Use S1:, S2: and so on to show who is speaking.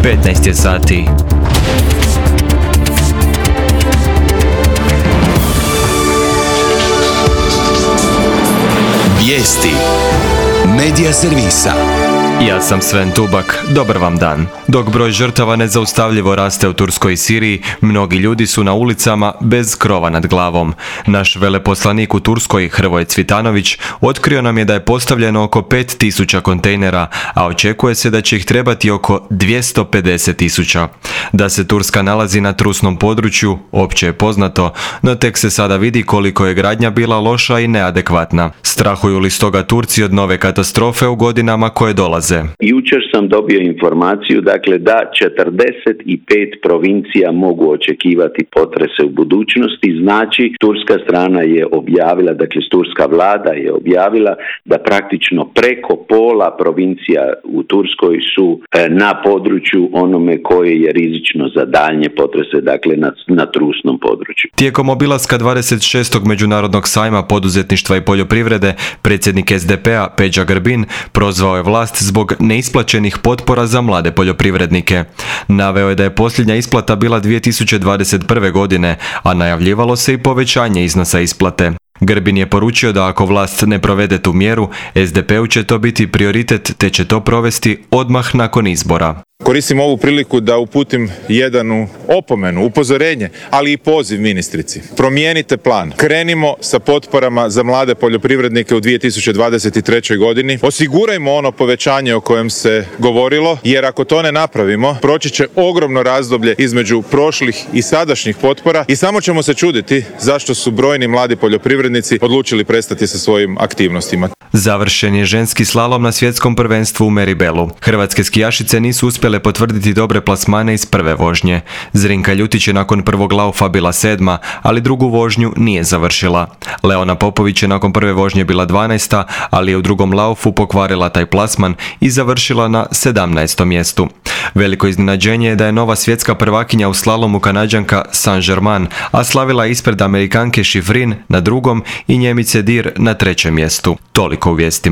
S1: 15 je sati.
S2: Vijesti Medija servisa.
S1: Ja sam Sven Tubak, dobar vam dan. Dok broj žrtava nezaustavljivo raste u Turskoj i Siriji, mnogi ljudi su na ulicama bez krova nad glavom. Naš veleposlanik u Turskoj, Hrvoje Cvitanović, otkrio nam je da je postavljeno oko 5000 kontejnera, a očekuje se da će ih trebati oko 250.000. Da se Turska nalazi na trusnom području, opće je poznato, no tek se sada vidi koliko je gradnja bila loša i neadekvatna. Strahuju li stoga Turci od nove katastrofe u godinama koje dolaze?
S3: Jučer sam dobio informaciju, dakle, da 45 provincija mogu očekivati potrese u budućnosti. Znači, turska strana je objavila, dakle, turska vlada je objavila da praktično preko pola provincija u Turskoj su na području onome koje je rizično za daljnje potrese, dakle, na trusnom području.
S1: Tijekom obilaska 26. Međunarodnog sajma poduzetništva i poljoprivrede, predsjednik SDP-a Peđa Grbin prozvao je vlast zbog neisplaćenih potpora za mlade poljoprivrednike. Naveo je da je posljednja isplata bila 2021. godine, a najavljivalo se i povećanje iznosa isplate. Grbin je poručio da ako vlast ne provede tu mjeru, SDP-u će to biti prioritet te će to provesti odmah nakon izbora.
S4: Koristim ovu priliku da uputim jednu opomenu, upozorenje, ali i poziv ministrici. Promijenite plan. Krenimo sa potporama za mlade poljoprivrednike u 2023. godini. Osigurajmo ono povećanje o kojem se govorilo, jer ako to ne napravimo, proći će ogromno razdoblje između prošlih i sadašnjih potpora i samo ćemo se čuditi zašto su brojni mladi poljoprivrednici odlučili prestati sa svojim aktivnostima.
S1: Završen je ženski slalom na svjetskom prvenstvu u Meribelu. Hrvatske skijašice nisu uspjele potvrditi dobre plasmane iz prve vožnje. Zrinka Ljutić je nakon prvog laufa bila 7., ali drugu vožnju nije završila. Leona Popović je nakon prve vožnje bila 12., ali je u drugom laufu pokvarila taj plasman i završila na 17. mjestu. Veliko iznenađenje je da je nova svjetska prvakinja u slalomu Kanađanka Saint-Germain, a slavila ispred Amerikanke Schifrin na drugom i Njemice Dir na 3. mjestu. Toliko u vijestima.